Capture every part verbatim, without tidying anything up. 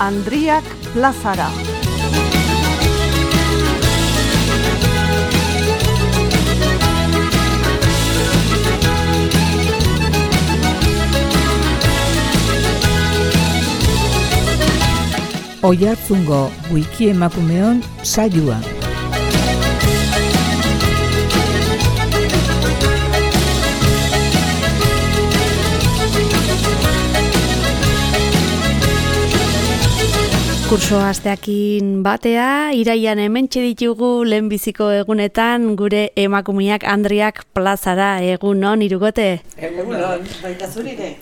Andriak plazara. Oiartzungo wiki emakumeon saioa. Kurso asteakin batea, iraian hementxe ditugu lehenbiziko egunetan gure emakumeak Andriak plazara. Egunon, Irugote? Egunon, baita zurire.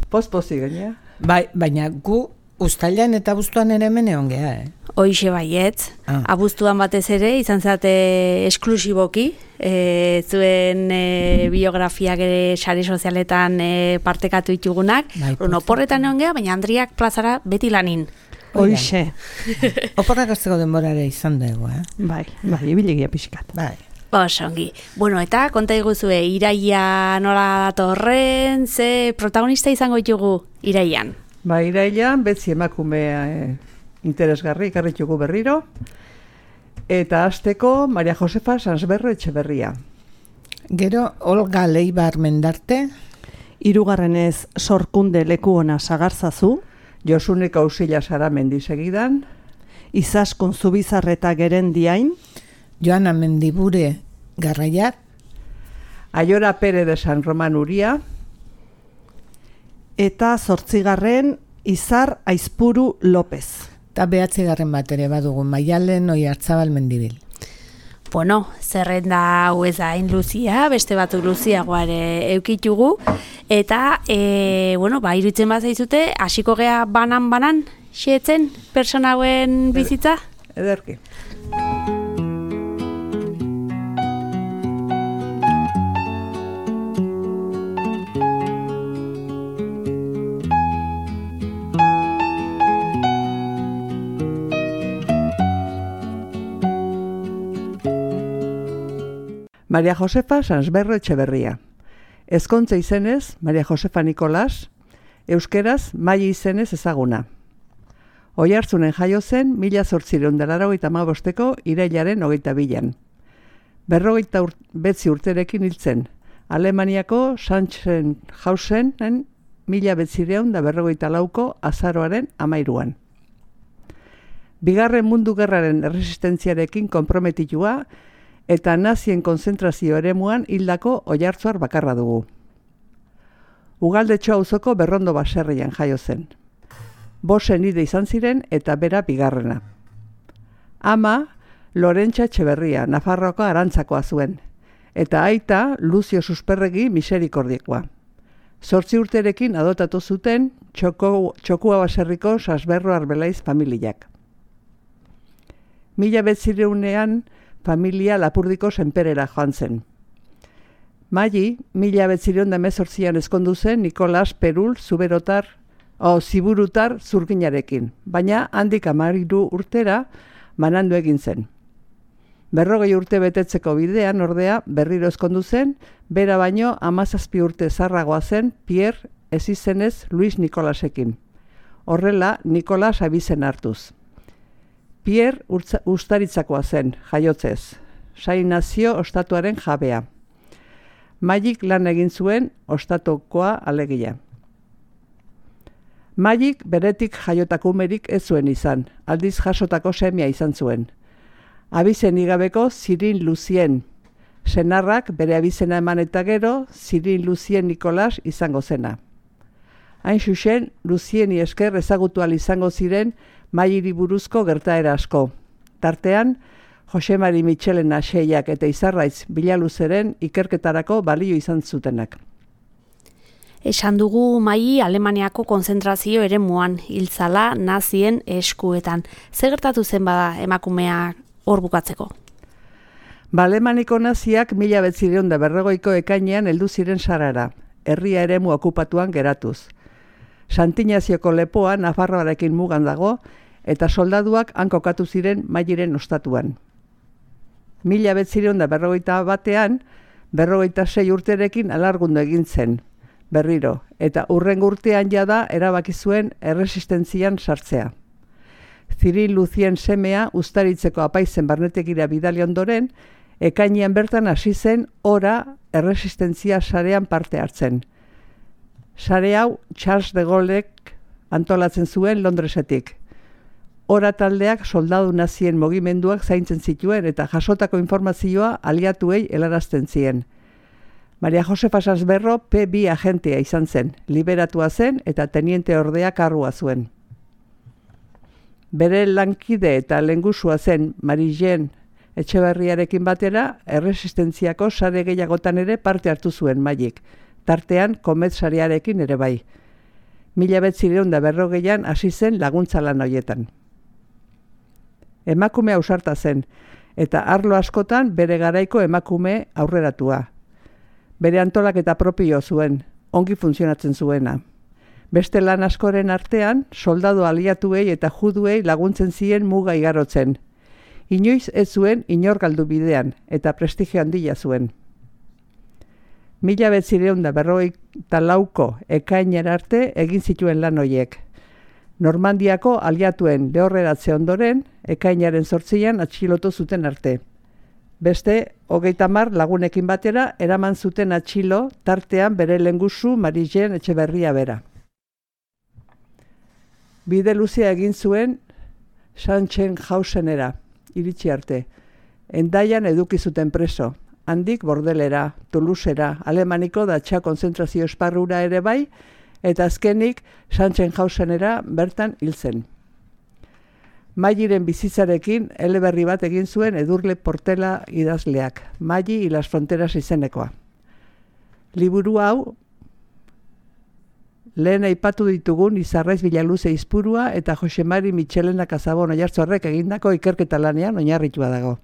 Poz-pozi gainea. Bai, baina gu uztailan eta abuztuan ere hemen egon geha, eh? Hoixe baiet, ah. Abuztuan batez ere, izan zate esklusiboki, e, zuen e, biografiak ere sare sozialetan e, partekatu ditugunak, bai, oporretan egon geha, baina Andriak plazara beti lanin. Hoixe. Oporrak azteko denborare izan dugu, eh? Bai, bai, ibilegia pixkat. Bai. Osongi. Bueno, eta konta iguzue, iraia nola datorren, ze protagonista izango ditugu iraian? Ba, irailan, betzi emakumea e, interesgarri ikarritugu berriro. Eta hasteko Maria Josefa Sansberro Etxeberria. Gero, Olga Leibar Mendarte. Hirugarrenez Sorkunde Lekuona Sagarzazu. Josunek Ausila Sara Mendisegidan. Izaskun Zubizarreta Gerendiain. Joana Mendibure Garraiat. Aiora Pere de San Roman Uria. Eta zortzigarren Izar Aizpuru López. Eta behatzigarren bat ere badugu Maialen Oiartzabal Mendibil. Bueno, zerrenda hau ez da hain luzia, beste batzuk luziagoare eukitugu. Eta, e, bueno, ba, iruditzen bat zaizute, hasiko gea banan-banan, xeetzen, persona hauen bizitza? Ederki. Maria Josefa Sansberro Etxeberria. Ezkontza izenez, Maria Josefa Nikolas, euskeraz Mai izenez ezaguna. Oiartzunen jaio zen, mila zortzireun da laurogeita hamabosteko irailaren hogeita bilan. Berrogeita ur, betzi urterekin hiltzen, Alemaniako Sachsenhausenen mila betzireun da berrogeita lauko azaroaren amairuan. Bigarren mundu gerraren erresistentziarekin konprometitua, eta nazien konzentrazio eremuan hildako oiartzuar bakarra dugu. Ugaldetxo auzoko Berrondo baserrian jaio zen. Bosen ide izan ziren eta bera bigarrena. Ama, Lorentza Etxeberria, Nafarroako Arantzakoa zuen, eta aita Luzio Susperregi Miserikordiekoa. Zortzi urterekin adotatu zuten txoko, Txokua baserriko Sansberro Arbelaiz familiak. Mila betzireunean familia Lapurdiko senperera joan zen. Mai, mila betzireun da hemezortzian ezkondu zen Nikolas Perul Zuberotar, o Ziburutar zurginarekin, baina handik hamairu urtera banandu egin zen. Berrogei urte betetzeko bidean ordea berriro ezkondu zen, bera baino hamazazpi urte zarragoa zen Pierre ez izenez Luis Nikolasekin. Horrela, Nikolas abizen hartuz. Pierre ustaritzakoa zen, jaiotzez, Sain Nazio ostatuaren jabea. Maik lan egin zuen ostatukoa alegia. Maik beretik jaiotakumerik ez zuen izan, aldiz jasotako semia izan zuen. Abizen igabeko Zirin Luzien, senarrak bere abizena eman eta gero Zirin Luzien Nikolas izango zena. Hain xuxen, Luzieni esker ezagutu ahal izango ziren Mairi buruzko gertaera asko. Tartean, Jose Mari Mitxelen Aseiak eta Izarraitz Bilaluzeren ikerketarako balio izan zutenak. Esan dugu Mai Alemaniako konzentrazio eremuan hiltzala nazien eskuetan. Zer gertatu zen bada emakumeak hor bukatzeko? Ba, Alemaniko naziak mila betzireun da berrogeiko ekainean heldu ziren Sarara, herria eremu okupatuan geratuz. Santinazioko lepoa Nafarroarekin mugan dago, eta soldaduak han kokatu ziren Mairen ostatuan. Mila bederatziehun eta berrogeita batean, berrogeita sei urterekin alargundu egin zen, berriro, eta hurrengo urtean jada erabaki zuen erresistentzian sartzea. Ziril Luzien semea uztaritzeko apaizen barnetekira bidali ondoren, ekainean bertan hasi zen ora erresistentzia sarean parte hartzen. Sare hau Charles de Gaulek antolatzen zuen Londresetik. Ora taldeak soldadu nazien mugimenduak zaintzen zituen eta jasotako informazioa aliatuei helarazten zien. Maria Josefa Sansberro P bi agentea izan zen, liberatua zen eta teniente ordea kargua zuen. Bere lankide eta lehengusua zen Marijen Etxeberriarekin batera, erresistentziako sare gehiagotan ere parte hartu zuen Maik, tartean Komet sarearekin ere bai. Mila bederatziehun eta berrogeian hasi zen laguntza lan horietan. Emakume ausarta zen, eta arlo askotan bere garaiko emakume aurreratua. Bere antolaketa propio zuen, ongi funtzionatzen zuena. Beste lan askoren artean, soldadu aliatuei eta juduei laguntzen zien muga igarotzen. Inoiz ez zuen inor galdu bidean, eta prestigio handia zuen. Mila bederatziehun eta berrogeita lauko ekainera arte egin zituen lan horiek. Normandiako aliatuen lehorreratze ondoren, ekainaren zortzian atxilotu zuten arte. Beste, hogeita hamar lagunekin batera, eraman zuten atxilo, tartean bere lehengusu Marijen Etxeberria bera. Bide luzea egin zuen Sachsenhausenera, iritsi arte. Hendaian eduki zuten preso, handik Bordelera, Toulousera, Alemaniko datxa konzentrazio esparrura ere bai, eta azkenik Sachsenhausenera bertan hil zen. Mairen bizitzarekin eleberri bat egin zuen Edurne Portela idazleak, Mai y las fronteras izenekoa. Liburu hau lehen aipatu ditugun Izarraiz Bilaluze Izpurua eta Jose Mari Michelena Kazabon Oiartzorrek egindako ikerketa lanean oinarritua dago.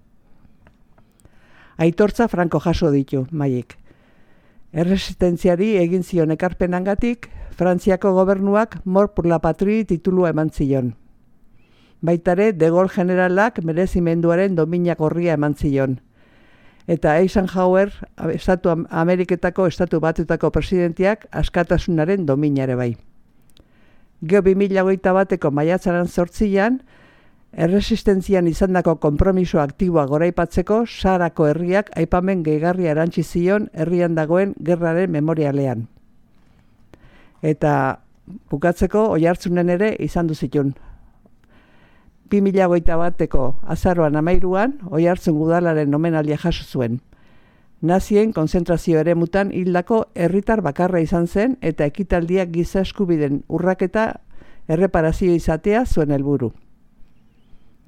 Aitortza franko jaso ditu Maik. Erresistentziari egin zion ekarpenangatik, Frantziako gobernuak Mort pour la Patrie titulua eman zion. Baitare, De Gaulle generalak merezimenduaren dominak gorria eman zion. Eta Eisenhower, Estatu Ameriketako Estatu Batutako presidentiak askatasunaren dominare bai. Geo bi mila hogeita bateko maiatzaren zortzian, erresistentzian izandako konpromiso aktiboa goraipatzeko Sarako herriak aipamen gehigarria erantzi zion herrian dagoen gerraren memorialean. Eta bukatzeko Oiartzunen ere izan du zitun. bi mila hogeita bateko azaroan hamairuan, Oiartzun udalaren omenaldia jaso zuen. Nazien konzentrazio eremutan hildako herritar bakarra izan zen eta ekitaldiak giza eskubideen urraketa erreparazio izatea zuen helburu.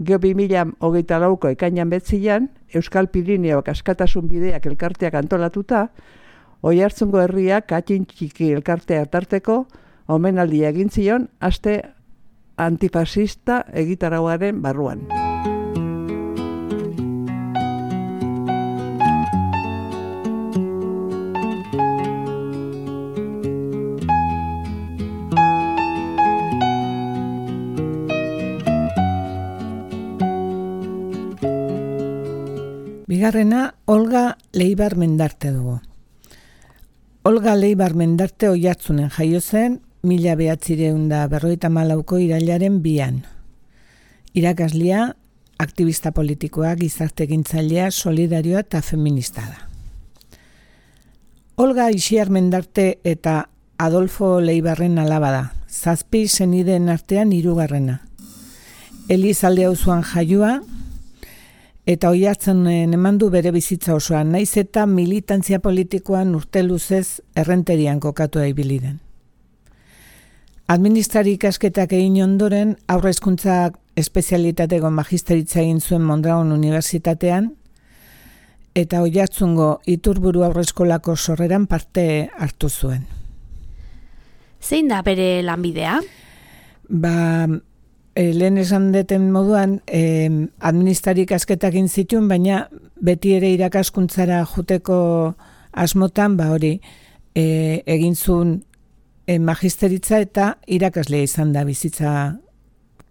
Geo bi mila hogeita lauko ekainan betzian, Euskal Pirineoak askatasun bideak elkarteak antolatuta, Oiartzungo herriak atxin txiki elkartea tarteko omenaldia egin zion aste antifasista egitarauaren barruan. Bigarrena, Olga Leibar Mendarte dugu. Olga Leibar Mendarte Oiartzunen jaio zen, mila bederatziehun eta berrogeita hamalauko irailaren bian. Irakaslia, aktivista politikoa, gizarte egintzailea, solidarioa eta feminista da. Olga Ixiar Mendarte eta Adolfo Leibarren alaba da, zazpi senideen artean hirugarrena. Elizalde auzoan jaioa, eta Oiartzunen emandu bere bizitza osoan, naiz eta militantzia politikoan urte luzez errenterian kokatu ibili den. Administrari ikasketak egin ondoren, aurre hezkuntza espezialitateko magisteritza egin zuen Mondragon Unibertsitatean, eta Oiartzungo Iturburu Aurreskolako sorreran parte hartu zuen. Zein da bere lanbidea? Ba, e, lehen esan deten moduan, e, administrari ikasketak egin zituen, baina beti ere irakaskuntzara juteko asmotan, ba hori, e, egin zuen e, magisteritza eta irakaslea izan da bizitza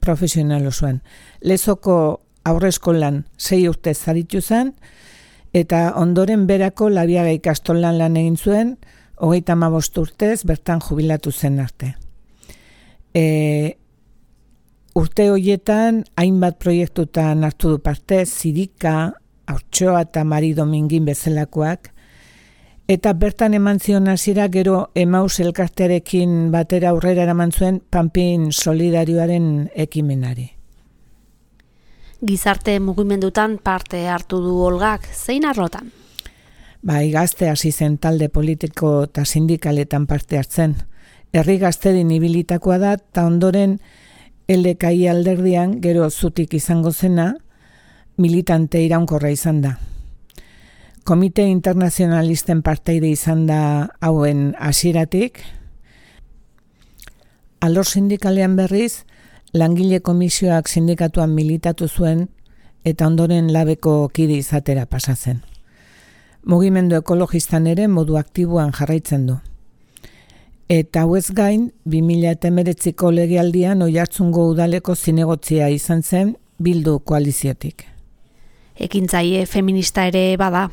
profesional osoan. Lezoko aurreskolan sei urte zaritu zen, eta ondoren berako Labiaga ikastolan lan egin zuen, hogeita hamabost urtez bertan jubilatu zen arte. E, urte horietan hainbat proiektutan hartu du parte, Zirika, Haurtxoa eta Mari Domingin bezalakoak, eta bertan eman zion hasiera gero Emaus elkartearekin batera aurrera eraman zuen Panpin Solidarioaren ekimenari. Gizarte mugimendutan parte hartu du Olgak, zein arlotan? Bai, gazte hasi zen talde politiko eta sindikaletan parte hartzen. Herri gaztedin ibilitakoa da, eta ondoren L D K I alderdian gero zutik izango zena, militante iraunkorra izan da. Komite internazionalisten parteide izan da hauen hasieratik. Alor sindikalean berriz, langile komisioak sindikatuan militatu zuen eta ondoren labeko kide izatera pasatzen. Mugimendu ekologistan ere modu aktiboan jarraitzen du. Eta hauez gain, bi mila hemeretziko legealdian Oiartzungo udaleko zinegotzia izan zen Bildu koaliziotik. Ekintzaile feminista ere bada.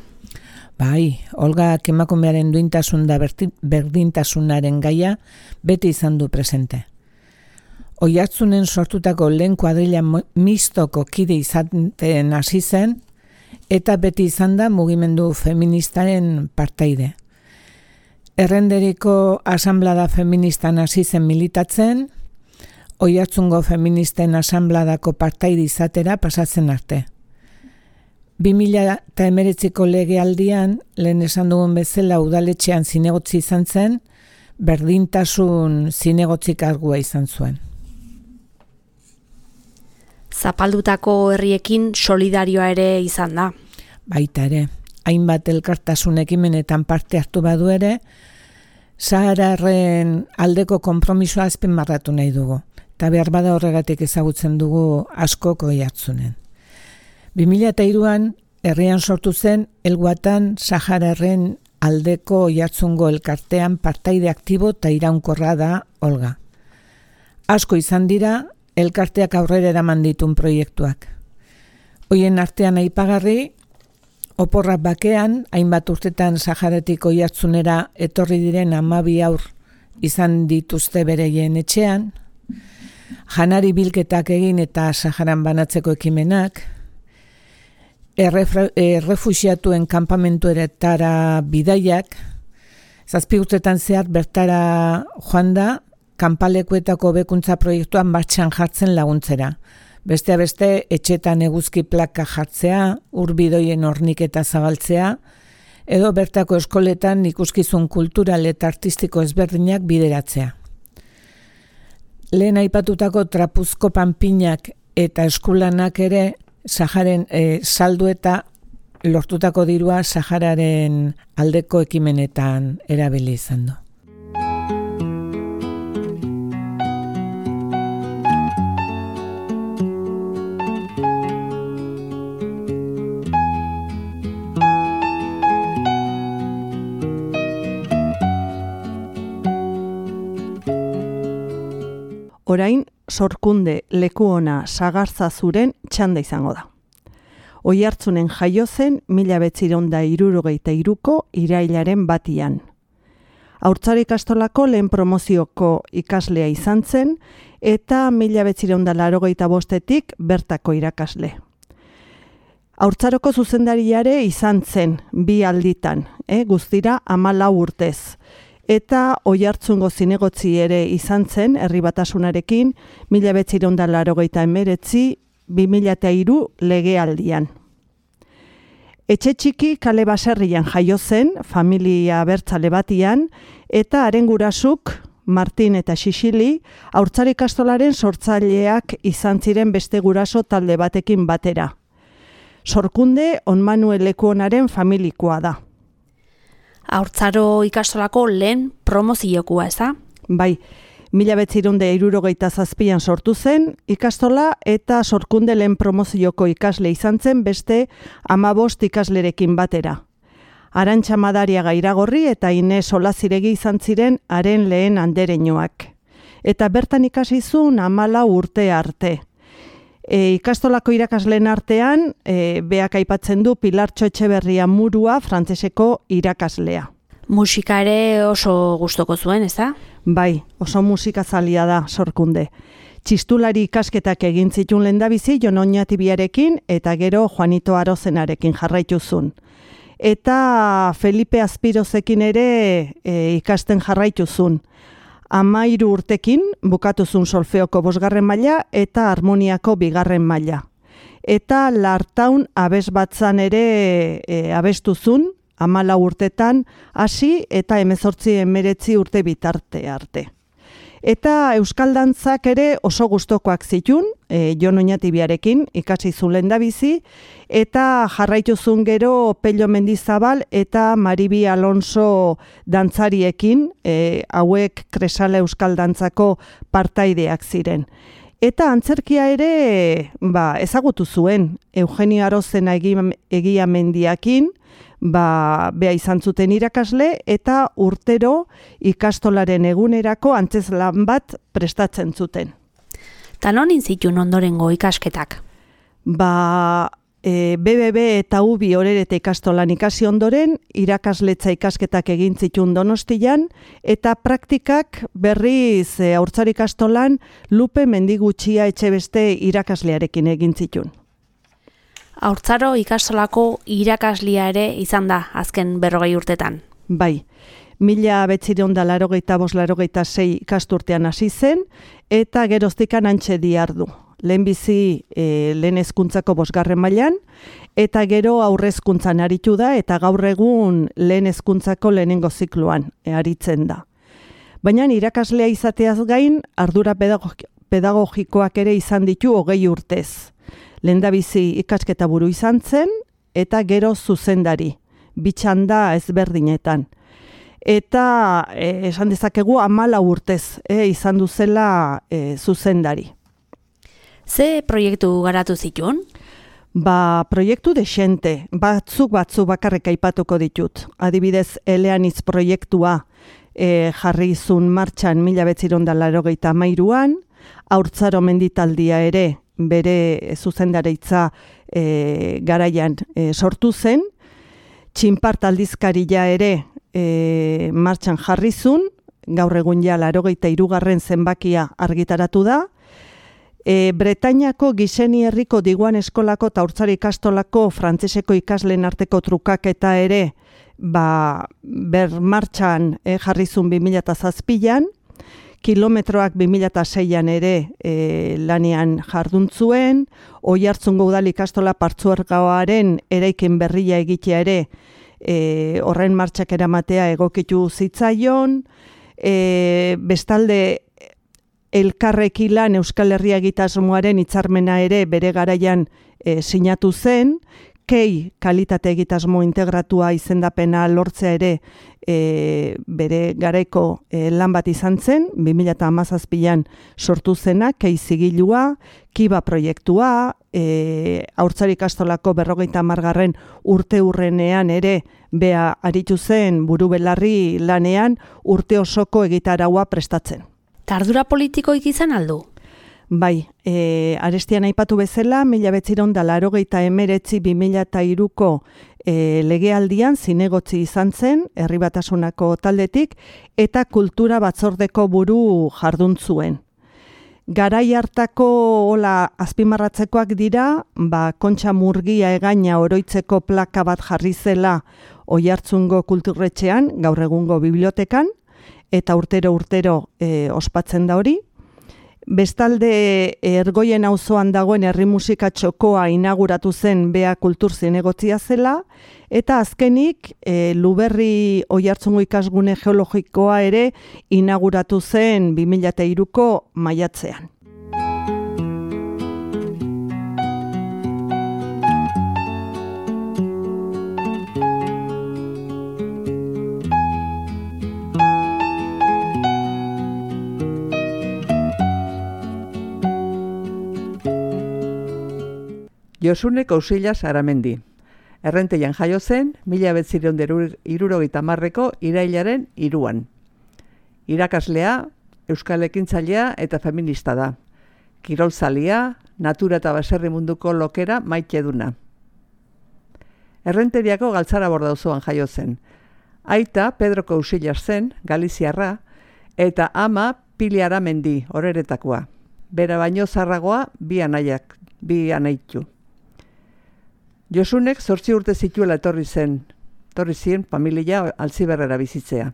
Bai, Olgak emakumearen duintasun da berdintasunaren gaia beti izan du presente. Oiartzunen sortutako lehen kuadrilla mistoko kide izaten hasi zen, eta beti izan da mugimendu feministaren parteide. Errenderiko asanblada feministan hasi zen militatzen, Oiartzungo feministen asanbladako parteide izatera pasatzen arte. bi mila hemeretziko legealdian, lehen esan dugun bezala udaletxean zinegotzi izan zen, berdintasun zinegotzi kargua izan zuen. Zapaldutako herriekin solidarioa ere izan da. Baita ere, hainbat elkartasun ekimenetan parte hartu badu ere, Sahararren aldeko konpromisoa azpimarratu nahi dugu, eta behar bada horregatik ezagutzen dugu askok Oiartzunen. bi mila hiruan herrian sortu zen Elguatan Sahararren aldeko Oiartzungo elkartean partaide aktibo eta iraunkorra da Olga. Asko izan dira elkarteak aurrera eraman ditun proiektuak. Hoien artean aipagarri, oporrak bakean, hainbat urtetan Saharatik Oiartzunera etorri diren hamabi haur izan dituzte bereien etxean, janari bilketak egin eta Saharan banatzeko ekimenak, errefuxiatuen kanpamentuetara bidaiak, zazpi urtetan zehar bertara joan da, kanpalekuetako hobekuntza proiektuan martxan jartzen laguntzera. Bestea beste, etxetan eguzki plaka jartzea, urbidoien horniketa zabaltzea, edo bertako eskoletan ikuskizun kultural eta artistiko ezberdinak bideratzea. Lehen aipatutako trapuzko panpinak eta eskulanak ere Saharen e, saldu eta lortutako dirua Sahararen aldeko ekimenetan erabili izan du. Orain, Sorkunde leku ona Sagartzazuren txanda izango da. Oiartzunen jaio zen mila bederatziehun eta hirurogeita hiruko irailaren batian. Haurtzaro ikastolako lehen promozioko ikaslea izan zen eta mila bederatziehun eta laurogeita bostetik bertako irakasle. Haurtzaroko zuzendariare izan zen bi alditan, eh, guztira hamalau urtez. Eta Oiartzungo zinegotzi ere izan zen herri batasunarekin mila bederatziehun eta laurogeita hemeretzi bi mila hiru legealdian. Etxe txiki kale baserrian jaio zen, familia abertzale batian, eta haren gurasuk, Martin eta Xixili, haurtzaro ikastolaren sortzaileak izan ziren beste guraso talde batekin batera. Sorkunde On Manuel Lekuonaren familikoa da. Haurtzaro ikastolako lehen promoziokua, ez da? Bai, mila bederatziehun eta hirurogeita zazpian sortu zen ikastola eta Sorkunde lehen promozioko ikasle izan zen beste hamabost ikaslerekin batera. Arantxa Madariaga Iragorri eta Ines Olaziregi izan ziren haren lehen andereñoak. Eta bertan ikasi zuen hamala urte arte. E, ikastolako irakasleen artean, e, beak aipatzen du Pilartxo Etxeberria Murua frantseseko irakaslea. Musika ere oso gustoko zuen, ez da? Bai, oso musikazalia da Sorkunde. Txistulari ikasketak egin zituen lehendabizi Jon Oñatibiarekin eta gero Juanito Arozenarekin jarraituzun. Eta Felipe Azpirozekin ere e, ikasten jarraituzun. Amairu urtekin bukatuzun solfeoko bosgarren maila eta harmoniako bigarren maila. Eta Lartaun abesbatzan ere e, abestuzun, hamala urtetan hasi eta hemezortzi hemeretzi urte bitarte arte. Eta euskal dantzak ere oso gustokoak zitun, e, Jon Oñatibiarekin ikasi zuen lehendabizi, eta jarraitu zuen gero Pello Mendizabal eta Maribi Alonso dantzariekin, e, hauek Kresala euskal dantzako partaideak ziren. Eta antzerkia ere ba, ezagutu zuen, Eugenio Arozena egia mendiakin, ba, bea izan zuten irakasle eta urtero ikastolaren egunerako antzezlan bat prestatzen zuten. Ta non intzitun ondorengo ikasketak? Ba, e, B B B eta U B I Orerete ikastolan ikasi ondoren, irakasletza ikasketak egin zitun Donostian, eta praktikak berriz e, Haurtzaro ikastolan Lupe Mendigutxia Etxebeste irakaslearekin egin zitun. Haurtzaro ikastolako irakaslia ere izan da azken berrogei urtetan. Bai, mila behatziehun eta laurogeita bost laurogeita sei ikasturtean hasi zen, eta geroztikan hantxe dihardu. Lehenbizi e, lehen hezkuntzako bosgarren mailan, eta gero aurrezkuntzan aritu da, eta gaur egun lehen hezkuntzako lehenengo zikloan e, aritzen da. Baina irakaslea izateaz gain, ardura pedagogikoak ere izan ditu hogei urtez. Lehendabizi ikasketa buru izan zen, eta gero zuzendari, bitxanda ezberdinetan. Eta e, esan dezakegu hamala urtez e, izan duzela e, zuzendari. Ze proiektu garatu zituen? Ba, proiektu desente, batzuk batzuk bakarrik aipatuko ditut. Adibidez, Eleanitz proiektua e, jarri izun martxan mila behatziehun eta laurogeita hamairuan, Haurtzaro menditaldia ere bere zuzendaritza e, garaian e, sortu zen, Txinpart aldizkaria ere e, martxan jarrizun, gaur egun ja laurogeita hirugarren zenbakia argitaratu da, e, Bretainiako Gizeni herriko Diguan eskolako eta Haurtzaro ikastolako frantseseko ikasleen arteko trukaketa ere ba, ber martxan e, jarrizun bi mila zazpian, kilometroak bi mila seian ere e, lanean jarduntzuen, Oiartzungo udal ikastola partzuergoaren eraikin berria egitea ere e, horren martxak eramatea egokitu zitzaion, e, bestalde elkarrekilan Euskal Herria egitasmoaren hitzarmena ere bere garaian e, sinatu zen, Kei kalitate egitasmo integratua izendapena lortzea ere e, bere garaiko e, lan bat izan zen, bi mila hamazazpian sortu zena, Kei zigilua, Kiba proiektua, e, Haurtzaro ikastolako berrogeita hamargarren urte urrenean ere bea aritu zen buru belarri lanean urte osoko egitaraua prestatzen. Tardura politikoik izan aldu? Bai, e, arestian aipatu bezala, mila behatziehun eta laurogeita hemeretzi bi mila hiruko e, legealdian zinegotzi izan zen, Herri Batasunako taldetik, eta kultura batzordeko buru jardun zuen. Garai hartako hola azpimarratzekoak dira, ba, Kontxa Murgia egaina oroitzeko plaka bat jarri zela Oiartzungo kulturretxean, gaur egungo bibliotekan, eta urtero urtero e, ospatzen da hori. Bestalde Ergoien auzoan dagoen herri musika txokoa inauguratu zen bea kultur zinegotzia zela, eta azkenik e, Luberri Oiartzungo ikasgune geologikoa ere inauguratu zen bi mila hiruko maiatzean. Josune Kousilla Saramendi. Errenteian jaio zen, mila bederatziehun eta hirurogeita hamarreko irailaren hiruan. Irakaslea, euskal ekintzailea eta feminista da. Kirolzalia, natura eta baserri munduko lokera maite duna. Errenteriako Galtzara Bordauzoan jaio zen. Aita Pedro Cousillas zen, Galiziarra, eta ama Pili Aramendi, Oreretakoa. Bera baino zarragoa bi anaiak, bi anaitu. Josunek zortzi urte zituela etorri zen, etorri zien familia Altziberrera bizitzea.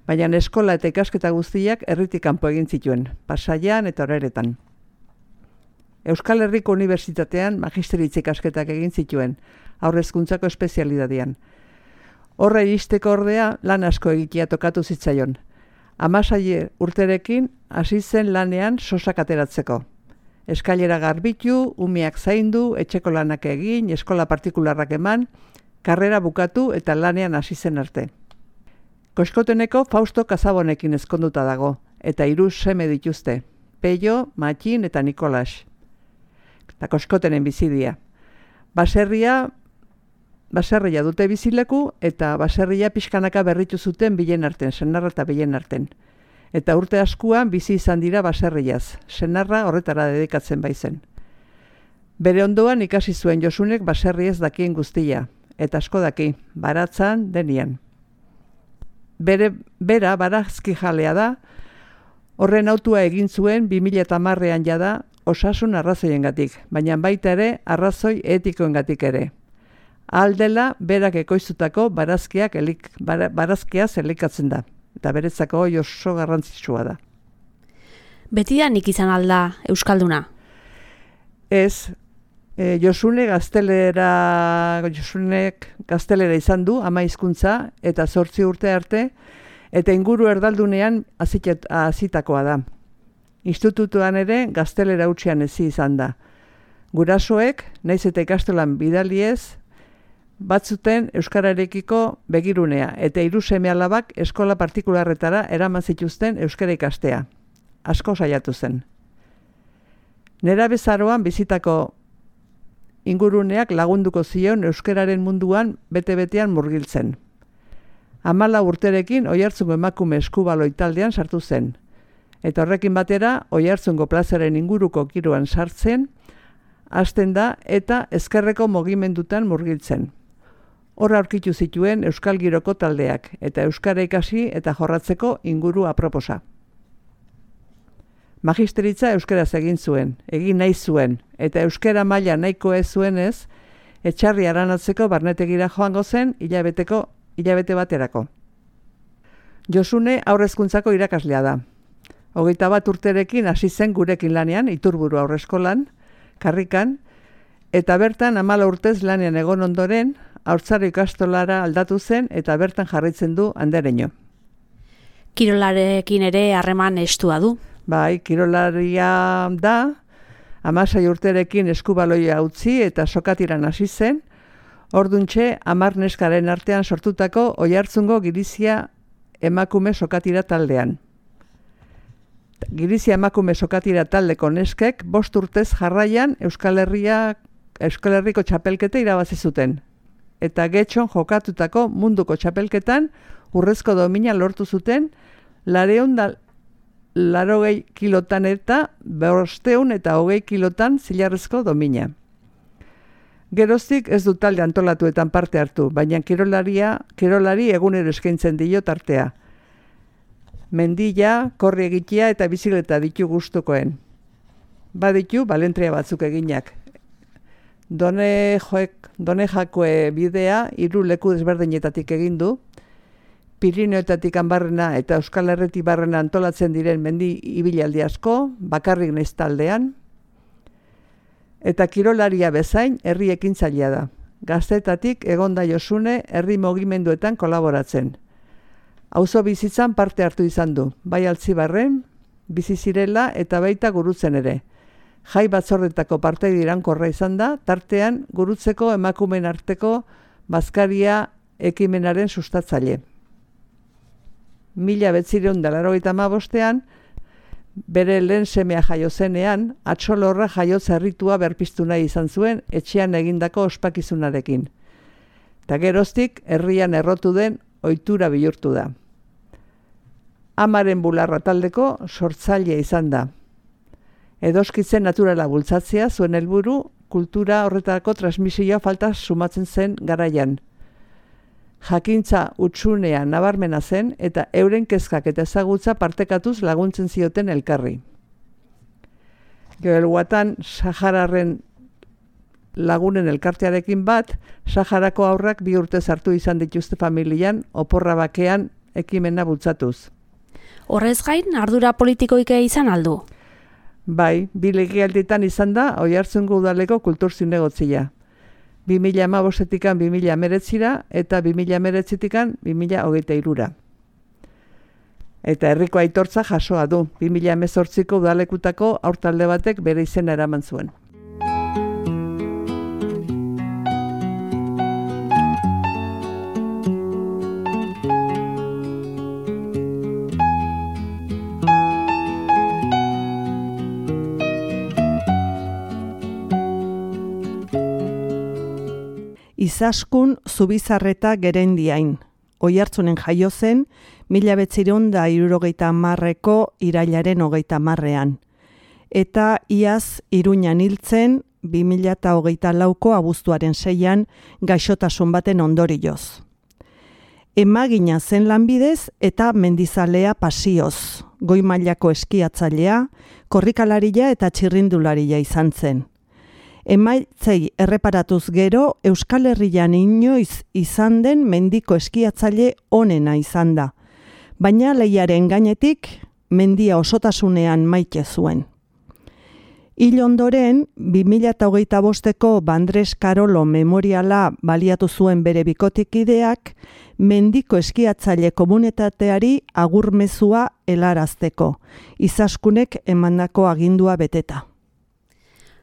Baina eskola eta ikasketa guztiak herritik kanpo egin zituen, Pasaian eta Oreretan. Euskal Herriko Unibertsitatean magisteritza ikasketak egin zituen, haurrezkuntzako espezialidadean. Horra iristeko ordea lan asko egitea tokatu zitzaion. Hamasei urterekin hasi zen lanean sosak ateratzeko. Eskailera garbitu, umeak zaindu, etxeko lanak egin, eskola partikularrak eman, karrera bukatu eta lanean hasi zen arte. Koskoteneko Fausto Kazabonekin ezkonduta dago, eta hiru seme dituzte, Peio, Matxin eta Nikolas. Eta Koskotenen bizidia. Baserria, baserria dute bizileku eta baserria pixkanaka berritu zuten bilen arten, senarra eta bilen arten. Eta urte askuan bizi izan dira baserriaz, senarra horretara dedikatzen baizen. Bere ondoan ikasi zuen Josunek baserriez dakien guztia, eta asko daki, baratzan denian. Bere, bera barazki jalea da, horren autua egin zuen bi mila hamarrean jada osasun arrazoiengatik, baina baita ere arrazoi etikoengatik ere. Aldela berak ekoiztutako barazkiak elik, bar, barazkiaz elikatzen da, eta beretzako oso garrantzitsua da. Betidanik izan alda Euskalduna? Ez, e, Josune gaztelera, Josunek gaztelera izan du, ama hizkuntza eta zortzi urte arte, eta inguru erdaldunean hazitakoa da. Institutuan ere gaztelera utzian ezi izan da. Gurasoek, naiz eta ikastolan bidaliez, batzuten euskararekiko begirunea eta hiru seme-alabak eskola partikularretara eraman zituzten euskara ikastea. Asko saiatu zen. Nerabezaroan bizitako inguruneak lagunduko zion euskararen munduan bete-betean murgiltzen. Hamala urterekin Oiartzungo emakume eskubaloi taldean sartu zen. Eta horrekin batera Oiartzungo plazaren inguruko kiroan sartzen, hasten da eta ezkerreko mugimendutan murgiltzen. Horra aurkitu zituen Euskal Giroko taldeak eta euskara ikasi eta jorratzeko inguru aproposa. Magisteritza euskaraz egin zuen, egin nahi zuen, eta euskara maila nahiko ez zuenez, etxarri aranatzeko barnetegira joango zen hilabeteko hilabete baterako. Josune aurrezkuntzako irakaslea da. Hogeita bat urterekin hasi zen gurekin lanean, Iturburu aurreskolan, Karrikan, eta bertan hamala urtez lanean egon ondoren, haurtzaro ikastolara aldatu zen eta bertan jarraitzen du andereño. Kirolarekin ere harreman estua du. Bai, kirolaria da, hamasei urterekin eskubaloia utzi eta sokatiran hasi zen, orduntxe hamar neskaren artean sortutako Oiartzungo Girizia emakume sokatira taldean. Girizia emakume sokatira taldeko neskek bost urtez jarraian Euskal Herria, Euskal Herriko txapelketa irabazi zuten. Eta getxon jokatutako munduko txapelketan urrezko domina lortu zuten lareun da larogei kilotan eta bosteun eta hogei kilotan zilarrezko domina. Geroztik ez du talde antolatuetan parte hartu, baina kirolaria, kirolari egunero eskaintzen dio tartea. Mendila, korri egitea eta bizikleta ditu gustukoen. Baditu balentria batzuk eginak. Done, joek, done jakue bidea hiru leku desberdinetatik egin du, Pirineoetatik barrena eta Euskal Herretik barrena antolatzen diren mendi ibilaldi asko, bakarrik naiz taldean, eta kirolaria bezain herri ekintzailea da. Gaztetatik egonda Josune herri mugimenduetan kolaboratzen. Auzo bizitzan parte hartu izan du, bai Altzibarren, bizi zirela eta baita gurutzen ere. Jai batzordetako partaide iraunkorra izan da, tartean gurutzeko emakumeen arteko bazkaria ekimenaren sustatzaile. Mila bederatziehun eta laurogeita hamabostean, bere lehen semea jaio zenean, Atxolorra jaiotza erritua berpiztu nahi izan zuen etxean egindako ospakizunarekin. eta geroztik herrian errotu den ohitura bihurtu da. Amaren bularra taldeko sortzailea izan da. Edoskitzen naturala bultzatzea zuen helburu kultura horretako transmisioa falta sumatzen zen garaian. Jakintza utxunea nabarmena zen eta euren kezkak eta ezagutza partekatuz laguntzen zioten elkarri. Joel Watan Sahararen lagunen elkartearekin bat, Saharako haurrak bi urte sartu izan dituzte familian, oporra bakean ekimena bultzatuz. Horrez gain, ardura politikoik izan aldu? Bai, bi legealditan izan da Oiartzungo udaleko kultur zinegotzia. bi mila hamabostetikan bi mila hemeretzira eta bi mila hemeretzitikan bi mila hogeita hirura. Eta herriko aitortza jasoa du, bi mila hemezortziko udalekutako haurtalde batek bere izena eraman zuen. Izaskun Zubizarreta Gerendiain. Oiartzunen jaio zen, mila behatziehun eta hirurogeita hamarreko irailaren hogeita hamarrean. Eta iaz Iruñan hiltzen, bi mila hogeita lauko abuztuaren seian gaixotasun baten ondorioz. Emagina zen lanbidez eta mendizalea pasioz. Goi mailako eskiatzailea, korrikalaria eta txirrindularia izan zen. Emaitzei erreparatuz gero, Euskal Herrian inoiz izan den mendiko eskiatzaile onena izan da. Baina lehiaren gainetik, mendia osotasunean maite zuen. Hil ondoren, bi mila hogeita bosteko Bandres Karolo memoriala baliatu zuen bere bikotikideak, mendiko eskiatzaile komunitateari agurmezua helarazteko, Izaskunek emandako agindua beteta.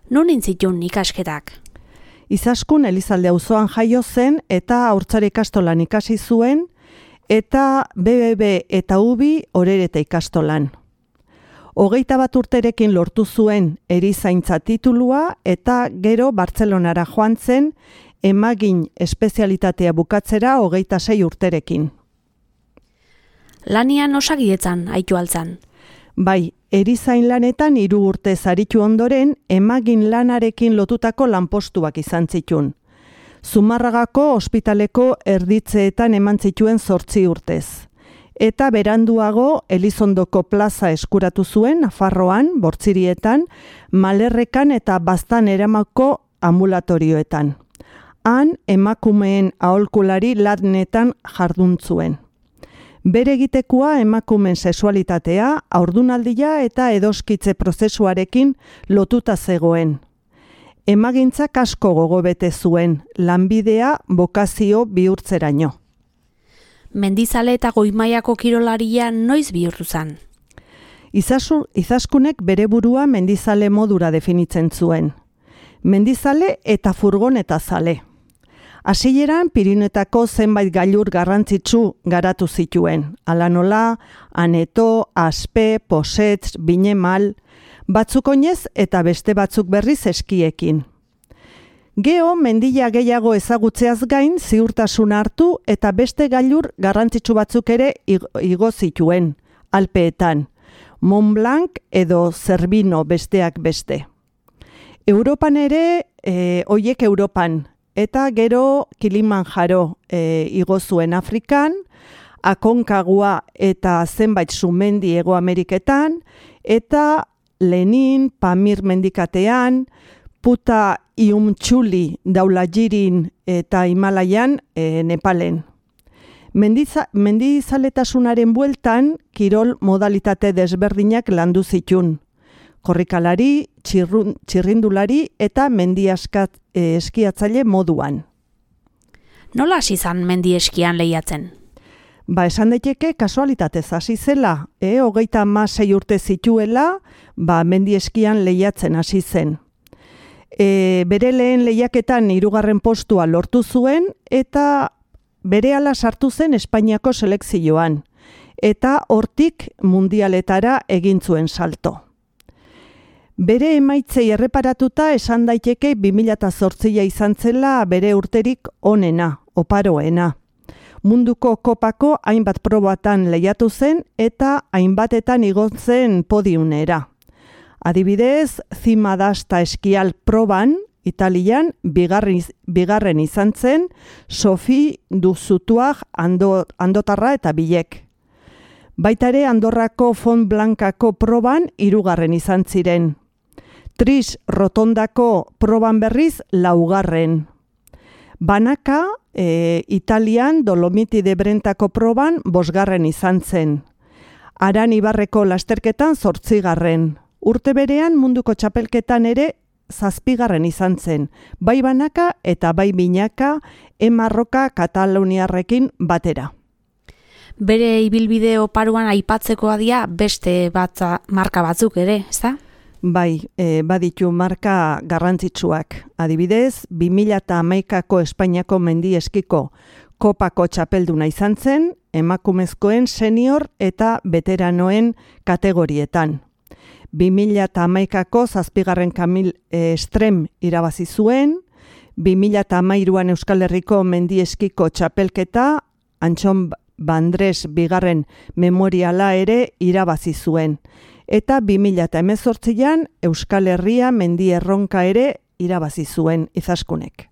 Non intzitun ikasketak? Izaskun Elizalde auzoan jaio zen eta haurtzare ikastolan ikasi zuen eta B B B eta U B I Orereta ikastolan. Hogeita bat urterekin lortu zuen erizaintza titulua eta gero Bartzelonara joan zen emagin espezialitatea bukatzera hogeita sei urterekin. Lanian osagietzan aitu altzan? Bai, erizain lanetan hiru urte zaritu ondoren emagin lanarekin lotutako lanpostuak izan zitun. Zumarragako ospitaleko erditzeetan eman zituen zortzi urtez. Eta beranduago Elizondoko plaza eskuratu zuen Nafarroan, Bortzirietan, Malerrekan eta Baztan eramako ambulatorioetan. Han emakumeen aholkulari lanetan jardun zuen. Bere egitekoa emakumeen sexualitatea, haurdunaldia eta edoskitze prozesuarekin lotuta zegoen. Emagintzak asko gogobete zuen, lanbidea bokazio bihurtzeraino. Mendizale eta goimaiako kirolaria noiz bihurtu zen? Izasu, Izaskunek bere burua mendizale modura definitzen zuen. Mendizale eta furgoneta zale. Hasieran Pirinetako zenbait gailur garrantzitsu garatu zituen. Hala nola, Aneto, Aspe, Posetz, Binemal, batzuk oinez eta beste batzuk berriz eskiekin. Geo mendia gehiago ezagutzeaz gain ziurtasun hartu eta beste gailur garrantzitsu batzuk ere igo zituen, Alpeetan, Mont Blanc edo Zerbino besteak beste. Europan ere, e, oiek Europan, eta gero Kilimanjaro e, igo zuen Afrikan, Aconcagua eta zenbait sumendi Hego Ameriketan, eta Lenin, Pamir mendikatean, Puta Iumtxuli Daulajirin eta Himalaian e, Nepalen. Mendiza, mendizaletasunaren bueltan, kirol modalitate desberdinak landu zitun. Korrikalari, txirrun, txirrindulari eta mendi askat, e, eskiatzaile moduan. Nola hasi zan mendi eskian lehiatzen? Ba, esan daiteke kasualitatez hasi zela, e, hogeita hamasei urte zituela, ba, mendi eskian lehiatzen hasi zen. E, bere lehen lehiaketan hirugarren postua lortu zuen eta berehala sartu zen Espainiako selekzioan eta hortik mundialetara egin zuen salto. Bere emaitzei erreparatuta esan daiteke bi mila zortzia izan zela bere urterik onena oparoena. Munduko kopako hainbat probatan lehiatu zen eta hainbatetan igon zen podiumera. Adibidez, Cima d'Asta eskial proban, Italian, bigarren, bigarren izan zen, Sofi Duzutuag ando, Andotarra eta Bilek. Baita ere Andorrako Font Blancako proban hirugarren izan ziren. Tris Rotondako proban berriz laugarren. Banaka, e, Italian Dolomiti de Brentako proban bosgarren izan zen. Aran Ibarreko lasterketan zortzigarren. Urte berean munduko txapelketan ere zazpigarren izan zen, bai banaka eta bai binaka emarroka kataluniarrekin batera. Bere ibilbide oparuan aipatzekoa dira beste batza, marka batzuk ere, ezta? Bai, e, baditu marka garrantzitsuak. Adibidez, bi mila hamaikako Espainiako mendieskiko kopako txapelduna izan zen, emakumezkoen senior eta veteranoen kategorietan. bi mila hamaikako zazpigarren Kamil Estrem irabazi zuen, bi mila hamairuan Euskal Herriko mendieskiko txapelketa, Antxon Bandres bigarren memoriala ere irabazi zuen. Eta bi mila hemezortzian Euskal Herria mendi erronka ere irabazi zuen Izaskunek.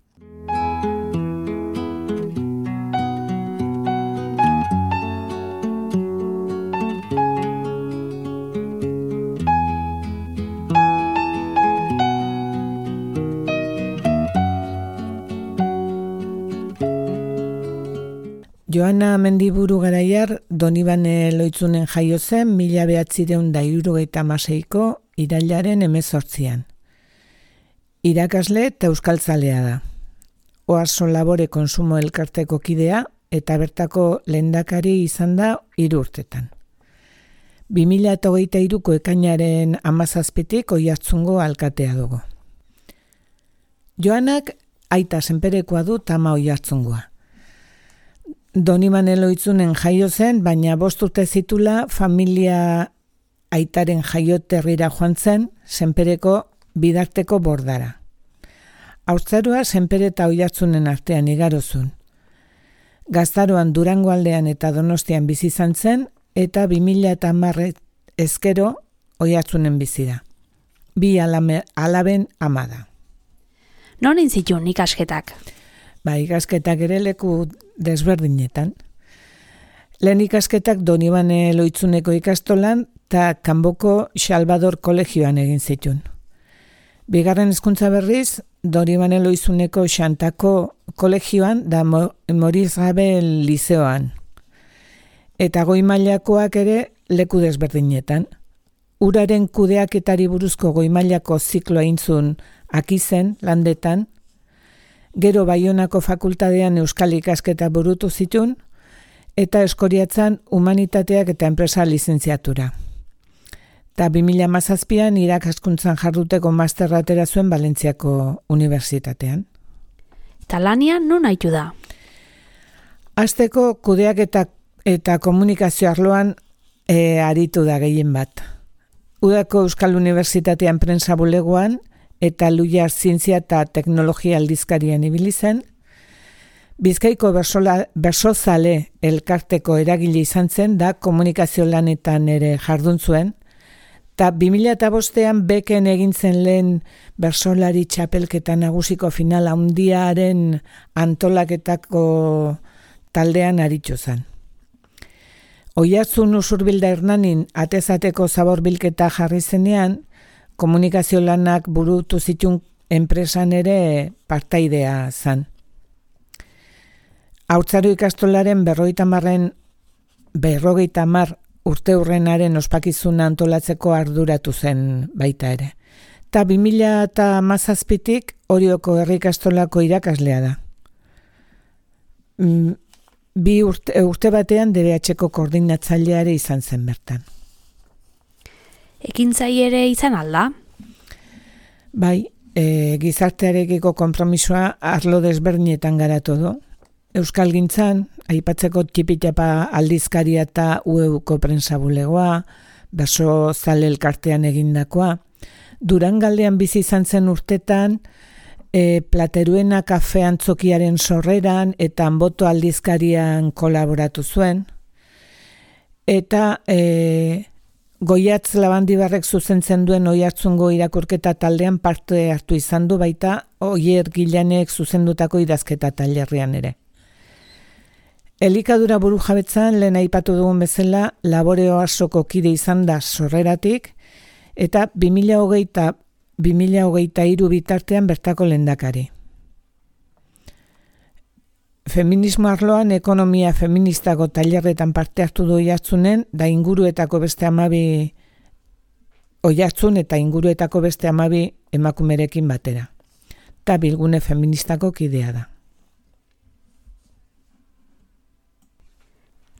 Joana Mendiburu Garaiar Donibane Loitzunen jaio zen mila bederatziehun eta hirurogeita hamaseiko irailaren hemezortzian. Irakasle eta euskaltzalea da. Oarso Labore Konsumo Elkarteko kidea eta bertako lehendakari izan da hiru urtetan. bi mila hogeita hiruko ekainaren hamazazpitik Oiartzungo alkatea dugu. Joanak aita senperekoa du tama Oiartzungoa. Donibane Loitzunen jaio zen, baina bost urte zitula familia aitaren jaioterrira joan zen, senpereko bidarteko bordara. Haurtzaroa senpere eta Oiartzunen artean igarozun. Gaztaroan Durango aldean eta Donostian bizi izan zen, eta bi mila hamar ezkero Oiartzunen bizi da. Bi alame, alaben ama da. Non intzitun ikasketak? Ba, ikasketak ere leku desberdinetan. Lehen ikasketak Donibane Loitzuneko ikastolan eta Kanboko Salvador Kolegioan egin zituen. Bigarren hezkuntza berriz, Donibane Loitzuneko Xantako Kolegioan da Moriz Gabel Lizeoan. Eta goi mailakoak ere leku desberdinetan. Uraren kudeaketari buruzko goi mailako zikloa intzun Akizen, Landetan, gero Baionako fakultatean euskal ikasketa burutu zituen, eta Eskoriatzan humanitateak eta enpresa lizentziatura. Eta bi mila hamazazpian irakaskuntzan jarduteko masterra atera zuen Valentziako Unibertsitatean. Eta lanian non haitu da? Hasteko kudeak eta, eta komunikazio arloan e, aritu da gehien bat. Udako Euskal Unibertsitatean prensa bulegoan, eta Luiar Zientzia eta Teknologia aldizkarian ibili zen. Bizkaiko bersola, bersozale elkarteko eragile izan zen da komunikazio lanetan ere jardun zuen. Eta bi mila bostean beken egin zen lehen bersolari txapelketa nagusiko final handiaren antolaketako taldean aritxo zen. Oiartzun Usurbilda Hernanin atezateko zaborbilketa jarri zenean, komunikazio lanak burutu zituen enpresan ere partaidea zan. Haurtzaro ikastolaren berrogeita marren berrogeita mar urte hurrenaren ospakizuna antolatzeko arduratu zen baita ere. Ta bi mila hamazazpitik Orioko herri ikastolako irakaslea da. Bi urte, urte batean D B H-ko koordinatzaileare izan zen bertan. Ekintzai ere izan alda? Bai, e, gizartearekiko konpromisoa arlo desberdinetan garatu du. Euskalgintzan, aipatzeko txipitapa aldizkaria eta U E U-ko prensa bulegoa, berso zale elkartean egindakoa. Durangaldean bizi izan zen urtetan, e, Plateruena kafe antzokiaren sorreran eta Anboto aldizkarian kolaboratu zuen, eta e, Goiatz Labandibarrek zuzentzen duen Oiartzungo irakurketa taldean parte hartu izan du, baita Oier Gilanek zuzendutako idazketa tailerrean ere. Elikadura burujabetzan lehen aipatu dugun bezala Laboreo Asoko kide izan da sorreratik, eta bi mila hogei eta bi mila hogeita hiru bitartean bertako lehendakari. Feminismo arloan ekonomia feministako tailerretan parte hartu du Oiartzunen, da inguruetako beste hamabi Oiartzun eta inguruetako beste hamabi emakumerekin batera. Ta bilgune feministako kidea da.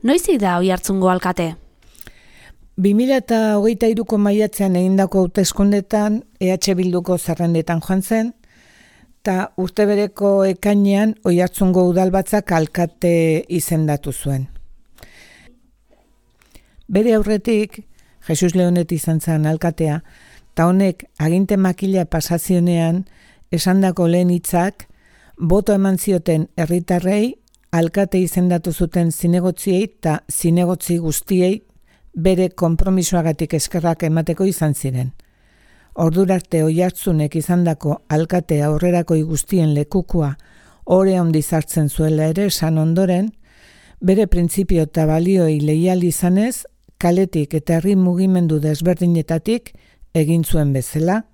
Noizik da Oiartzungo alkate? bi mila hogeita hiruko maiatzean egindako hauteskundetan E H Bilduko zerrendetan joan zen, eta urte bereko ekainean Oiartzungo udalbatzak alkate izendatu zuen. Bere aurretik, Jesus Leonet izan zen alkatea, eta honek aginte makila pasazionean esandako lehen hitzak boto eman zioten herritarrei alkate izendatu zuten zinegotziei eta zinegotzi guztiei bere konpromisoagatik eskerrak emateko izan ziren. Ordurarte Oiartzunek izandako alkate aurrerakoi guztien lekukua ore handi sartzen zuela ere esan ondoren, bere printzipio eta balioi leial izanez, kaletik eta herri mugimendu desberdinetatik egin zuen bezala,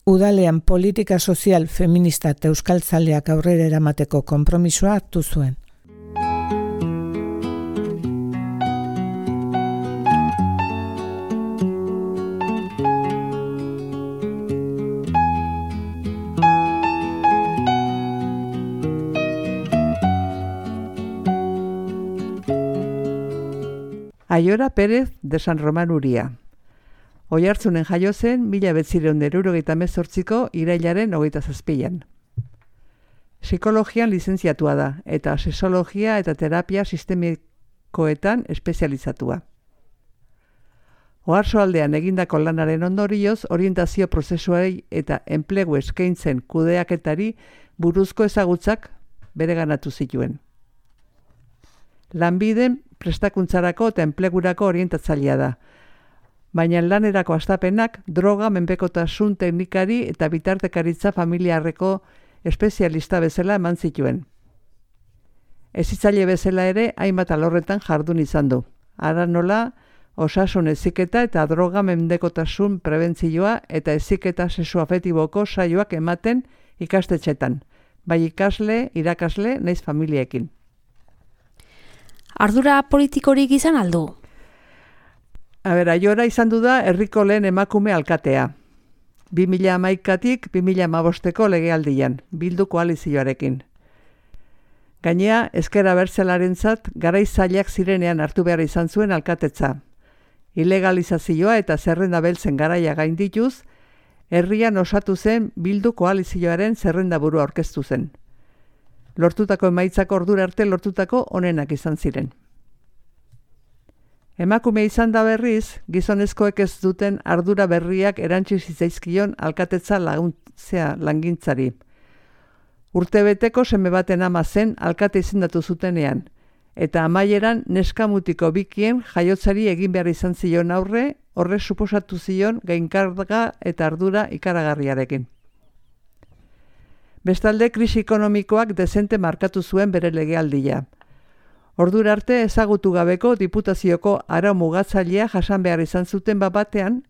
udalean politika sozial feminista eta euskaltzaleak aurrera eramateko konpromisoa hartu zuen. Aiora Pérez de San Roman Uria. Oiartzunen jaio zen mila bederatziehun eta hirurogeita hemezortziko irailaren hogeita zazpian. Psikologian lizentziatua da eta sexologia eta terapia sistemikoetan espezializatua. Oarsoaldean egindako lanaren ondorioz orientazio prozesuei eta enplegu eskaintzen kudeaketari buruzko ezagutzak bereganatu zituen. Lanbiden prestakuntzarako eta enplegurako orientatzailea da, baina lanerako hastapenak droga, menpekotasun teknikari eta bitartekaritza familiarreko espezialista bezala eman zituen. Hezitzaile bezala ere hainbat alorretan jardun izan du. Ara nola, osasun heziketa eta droga mendekotasun prebentzioa eta heziketa sexuafetiboko saioak ematen ikastetxetan, bai ikasle, irakasle, naiz familiekin. Ardura politikorik izan aldu? A ber, Aiora izan du da herriko lehen emakume alkatea. bi mila hamaikatik bi mila hamabosteko legealdian, Bildu koalizioarekin. Gainea, ezker abertzalarentzat garai zailak zirenean hartu behar izan zuen alkatetza. Ilegalizazioa eta zerrenda beltzen garaia gaindituz, herrian osatu zen Bildu koalizioaren zerrendaburu aurkeztu zen. Lortutako emaitzako ordura arte lortutako onenak izan ziren. Emakume izan da berriz, gizonezkoek ez duten ardura berriak erantsi zitzaizkion alkatetza laguntzea langintzari. Urtebeteko seme baten ama zen alkate izendatu zutenean, eta amaieran neskamutiko bikien jaiotzari egin behar izan zion aurre, horre suposatu zion gainkarga eta ardura ikaragarriarekin. Bestalde, krisi ekonomikoak dezente markatu zuen bere legealdia. Ordura arte ezagutu gabeko diputazioko arau mugatzailea jasan behar izan zuten bat batean,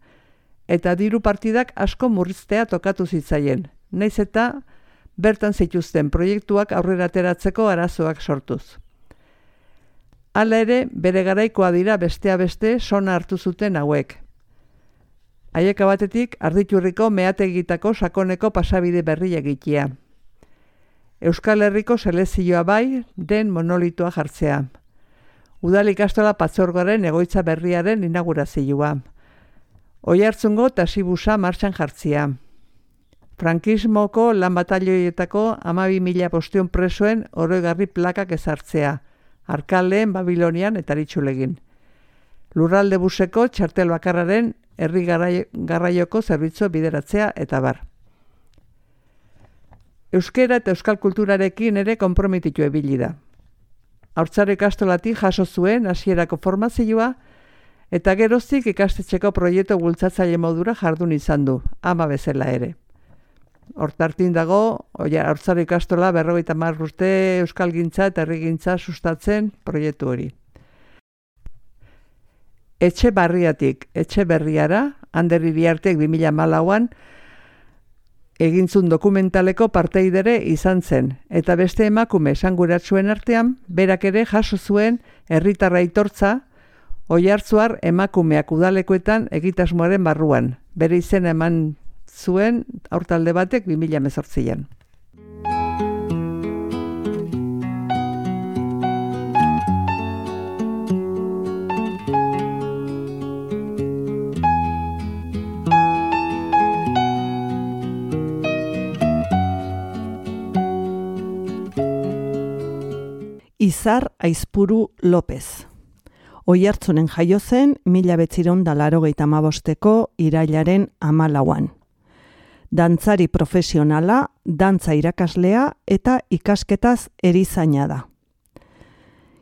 eta diru partidak asko murriztea tokatu zitzaien, nahiz eta bertan zituzten proiektuak aurrera ateratzeko arazoak sortuz. Hala ere, bere garaikoa dira bestea beste sona hartu zuten hauek. Haieka batetik, Arditurriko meategitako sakoneko pasabide berri egitea. Euskal Herriko selezioa bai, den monolitoa jartzea. Udal ikastola patzorgoaren egoitza berriaren inaugurazioa. Oiartzungo tasibusa martxan jartzea. Frankismoko lan batalioietako hamabi mila bostehun presoen oroigarri plakak ezartzea. Arkaleen, Babilonian eta Aritxulegin. Lurralde buseko txartel bakarraren herri garraioko zerbitzu bideratzea eta bar. euskera eta euskal kulturarekin ere konprometitu ebili da. Haurtzaro ikastolatik jaso zuen hasierako formazioa eta geroztik ikastetxeko proiektu bultzatzaile modura jardun izan du, ama bezala ere. Hortartin dago, haurtzaro ikastola berrogeita hamar urte euskalgintza eta herrigintza sustatzen proiektu hori. Etxe barriatik, etxe berriara, Ander Iriartek bi mila hamalauan egintzun dokumentaleko parteidere izan zen, eta beste emakume esanguratsuen artean, berak ere jaso zuen herritarra aitortza, Oiartzuar emakumeak udalekoetan egitasmoaren barruan. Bere izena eman zuen haurtalde batek bi mila hemezortzian. Izar Aizpuru López. Oiartzunen jaio zen mila bederatziehun eta laurogeita hamabosteko irailaren hamalauan. Dantzari profesionala, dantza irakaslea eta ikasketaz erizaina da.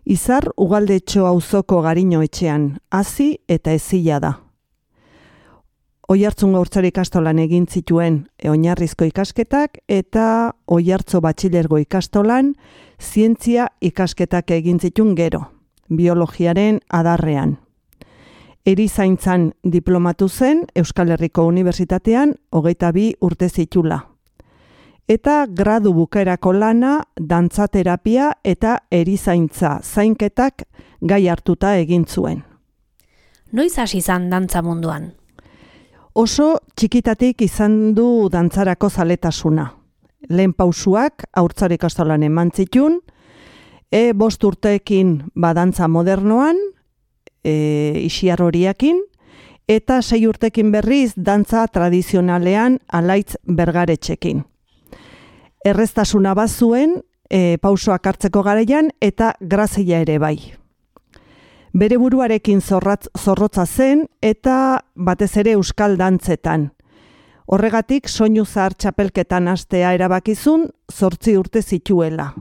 Izar Ugaldetxo auzoko Gariño etxean hazi eta hezia da. Oiartzun haurtzaro ikastolan egin zituen oinarrizko ikasketak eta Oiartzo batxilergo ikastolan zientzia ikasketak egin zituen gero, biologiaren adarrean. Erizaintzan diplomatu zen Euskal Herriko Unibertsitatean hogeita bi urte zitula. Eta gradu bukaerako lana, dantzaterapia eta erizaintza zainketak gai hartuta egin zuen. Noiz hasi izan dantza munduan? Oso txikitatik izan du dantzarako zaletasuna. Lehen pausuak haurtzaro ikastolan eman zitun, e, bost urteekin badantza modernoan, e, isiar horiakin, eta sei urtekin berriz dantza tradizionalean Alaitz Bergaretxekin. Erreztasuna bazuen e, pausoak hartzeko garaian eta grazia ere bai. Bere buruarekin zorratz, zorrotza zen eta batez ere euskal dantzetan. Horregatik soinu zahar txapelketan hastea erabakizun zortzi urte zituela.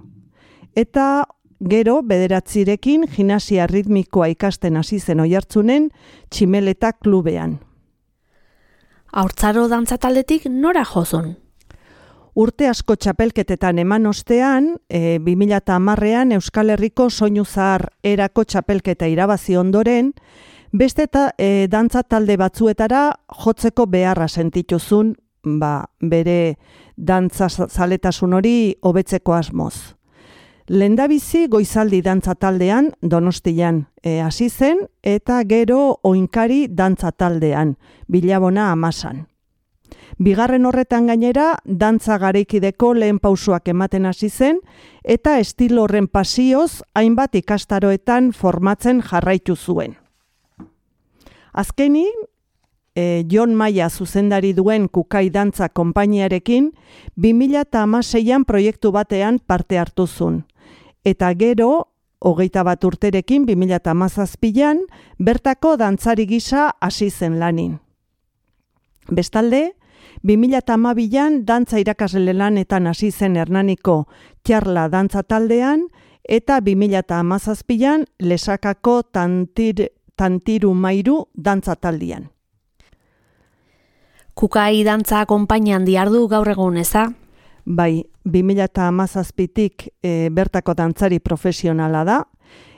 Eta gero bederatzirekin gimnasia ritmikoa ikasten hasi zen Oiartzunen Tximeleta klubean. Haurtzaro dantza taldetik nora jozun? Urte asko txapelketetan eman ostean, e, bi mila hamarrean Euskal Herriko soinu zahar erako txapelketa irabazi ondoren, beste eta e, dantza talde batzuetara jotzeko beharra sentituzun, ba, bere dantza zaletasun hori hobetzeko asmoz. Lehendabizi goizaldi dantza taldean Donostian e, hasi zen eta gero oinkari dantza taldean, Bilabona Amasan. Bigarren horretan gainera, dantza garaikideko lehen pausuak ematen hasi zen eta estilo horren pasioz hainbat ikastaroetan formatzen jarraitu zuen. Azkenik, e, Jon Maia zuzendari duen Kukai Dantza konpainiarekin bi mila hamaseian proiektu batean parte hartu zuen. Eta gero, hogeita bat urterekin bi mila hamazazpian bertako dantzari gisa hasi zen lanin. Bestalde, bi mila hamabian dantza irakasle lanetan hasi zen Hernaniko Txarla dantza taldean eta bi mila hamazazpian Lesakako tantir, Tantiru Mairu dantza taldean. Kukai dantza konpainian diardu gaur egun eza? Bai, bi mila hamazazpitik e, bertako dantzari profesionala da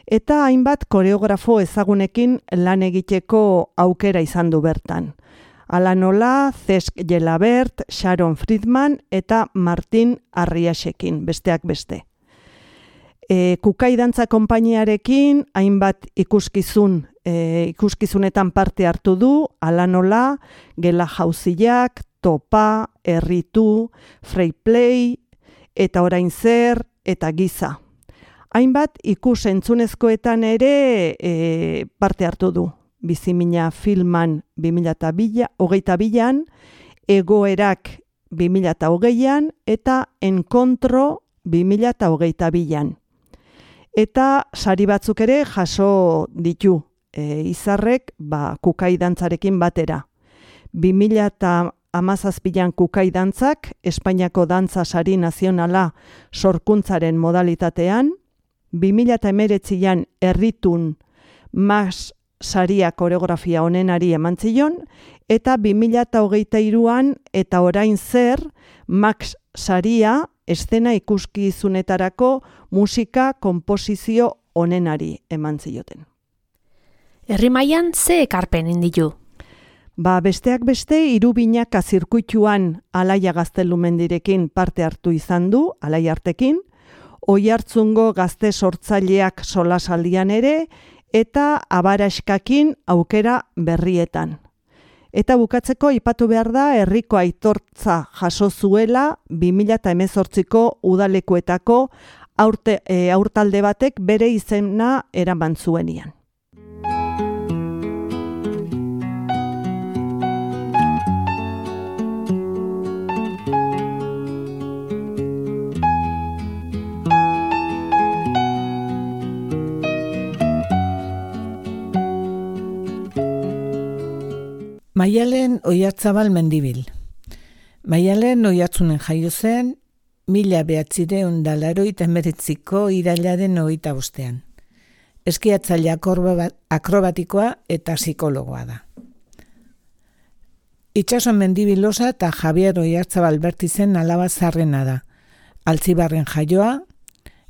eta hainbat koreografo ezagunekin lan egiteko aukera izan du bertan. Ala nola, Cesc Gelabert, Sharon Friedman eta Martin Arriasekin, besteak beste. E, Kukai Dantza konpainiarekin hainbat ikuskizun, e, ikuskizunetan parte hartu du, ala nola, Gela Jauziak, Topa, Erritu, Free Play, eta Orain Zer, eta Giza. Hainbat ikus entzunezkoetan ere e, parte hartu du. Bizimina filman bi mila hogeita bian, Egoerak bi mila hogeian eta Enkontro bi mila hogeita bian. Eta sari batzuk ere jaso ditu e, Izarrek ba, Kukai dantzarekin batera. bi mila hamazazpian kukai dantzak, Espainiako dantza sari nazionala sorkuntzaren modalitatean, bi mila hemeretzian erritun Max saria koreografia onenari eman zion, eta bi mila hogeita hiruan eta orain zer Max saria eszena ikuskizunetarako musika konposizio onenari eman zioten. Herri mailan ze ekarpen inditu? Ba, besteak beste, Irubinaka zirkuituan Alaia Gaztelumendirekin parte hartu izan du, Alaia Artekin, Oiartzungo gazte sortzaileak solasaldian ere, eta Abaraskakin aukera berrietan. Eta bukatzeko aipatu behar da herriko aitortza jaso zuela bi mila hemezortziko udalekuetako aurte, e, aurtalde batek bere izena eraman zuenian. Maialen Oiartzabal Mendibil. Maialen Oiartzunen jaio zen, mila behatzireun da laurogeita hemeretziko irailaren hogeita bostean. Eskiatzaile akrobatikoa eta psikologoa da. Itxaso Mendibil Losa eta Javier Oiartzabal Bertizen alaba zarrena da. Altzibarren jaioa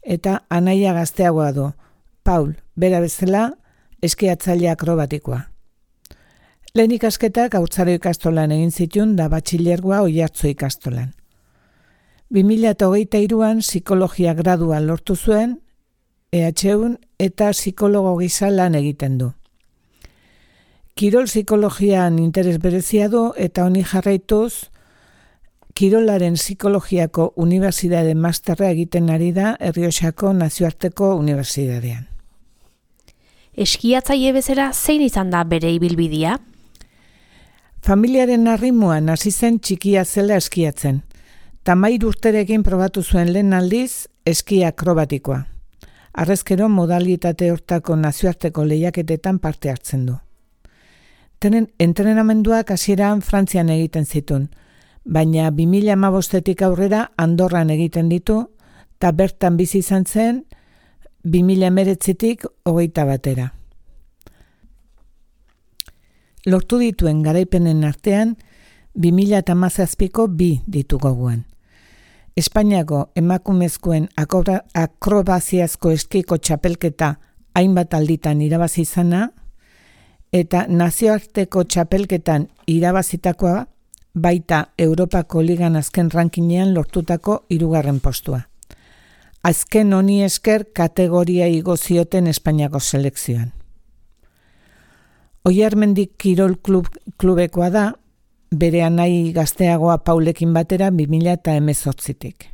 eta anaia gazteagoa du. Paul, bera bezala, eskiatzaile akrobatikoa. Lehen ikasketak haurtzaro ikastolan egin zituen da batxilergoa Oiartzu ikastolan. bi mila hogeita hiruan psikologia gradua lortu zuen, E H Un eta psikologo gisa lan egiten du. Kirol psikologian interes berezia du eta honi jarraituz, Kirolaren psikologiako unibertsitate masterra egiten ari da Errioxako Nazioarteko Unibertsitatean. Eskiatzaile bezala zein izan da bere ibilbidea? Familiaren arrimuan hasi zen txikia zela eskiatzen. Tamairu urterekin probatu zuen lehen aldiz eskia akrobatikoa. Harrezkero modalitate hortako nazioarteko lehiaketetan parte hartzen du. Tenen entrenamenduak hasieran Frantzian egiten zituen, baina bi mila hamabostetik aurrera Andorran egiten ditu, eta bertan bizi izan zen bi mila hemeretzitik hogeita batera. Lortu dituen garaipenen artean, bi mila hamazazpiko bi ditu gogoan. Espainiako emakumezkoen akrobaziazko eskiko txapelketa hainbat alditan irabazi izana, eta nazioarteko txapelketan irabazitakoa baita Europako Ligan azken rankinean lortutako hirugarren postua. Azken honi esker kategoria igo zioten Espainiako selekzioan. Oiarmendik Kirol klub, klubekoa da, bere anai gazteagoa Paulekin batera bi mila hemezortzitik.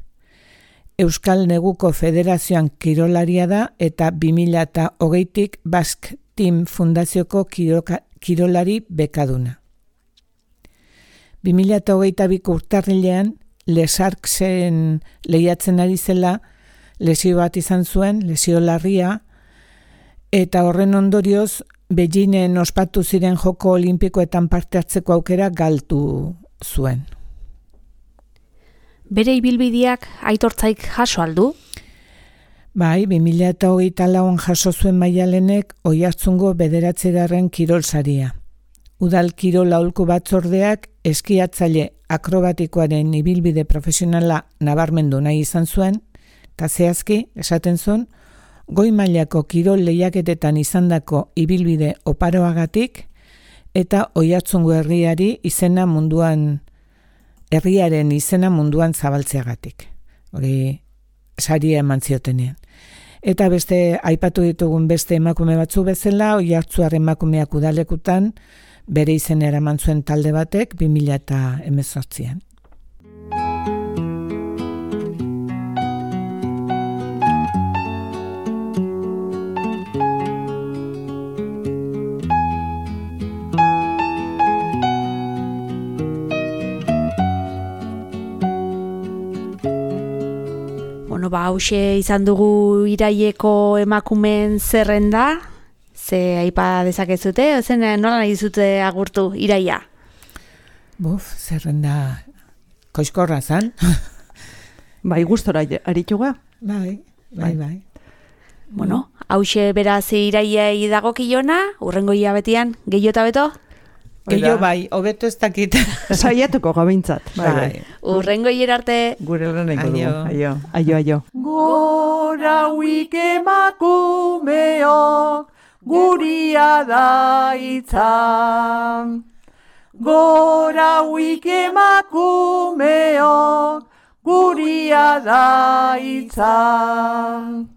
Euskal Neguko Federazioan kirolaria da eta bi mila hogeitik Basque Team Fundazioko kiroka, kirolari bekaduna. bi mila hogeita biko urtarrilean Lesarksen lehiatzen ari zela lesio bat izan zuen, lesio larria, eta horren ondorioz Beijingen ospatu ziren joko olimpikoetan parte hartzeko aukera galdu zuen. Bere ibilbideak aitortzaik jaso aldu? Bai, bi mila hogeita lauan jaso zuen Maialenek Oiartzungo bederatzigarren kirol saria. Udal kirol aholku batzordeak eskiatzaile akrobatikoaren ibilbide profesionala nabarmendu nahi izan zuen, eta zehazki, esaten zuen, goi mailako kirol lehiaketetan izandako ibilbide oparoagatik eta Oiartzungo herriari izena munduan, herriaren izena munduan zabaltzeagatik. Hori saria eman ziotenean. Eta beste aipatu ditugun beste emakume batzu bezala, Oiartzuar emakumeak udalekutan bere izena eraman zuen talde batek bi mila hemezortzian. Bueno, ba, hause izan dugu iraileko emakumen zerrenda, ze aipa dezakezute, zen nola nahi dizute agurtu iraia? Buf, zerrenda koizkorra zan. Bai, gustora arituga. Bai, bai, bai. Bueno, hause beraz iraiei dagokilona, urrengo hilabetian gehiago eta beto? Gehiago bai, hobeto ez dakit. Saiatuko gabintzat. Bai, bai. Urrengo hiler arte. Gure lan eko dugu. Aio. Aio, aio. Gora huik emakumeok, guria da itzan. Gora huik emakumeok, guria da itzan.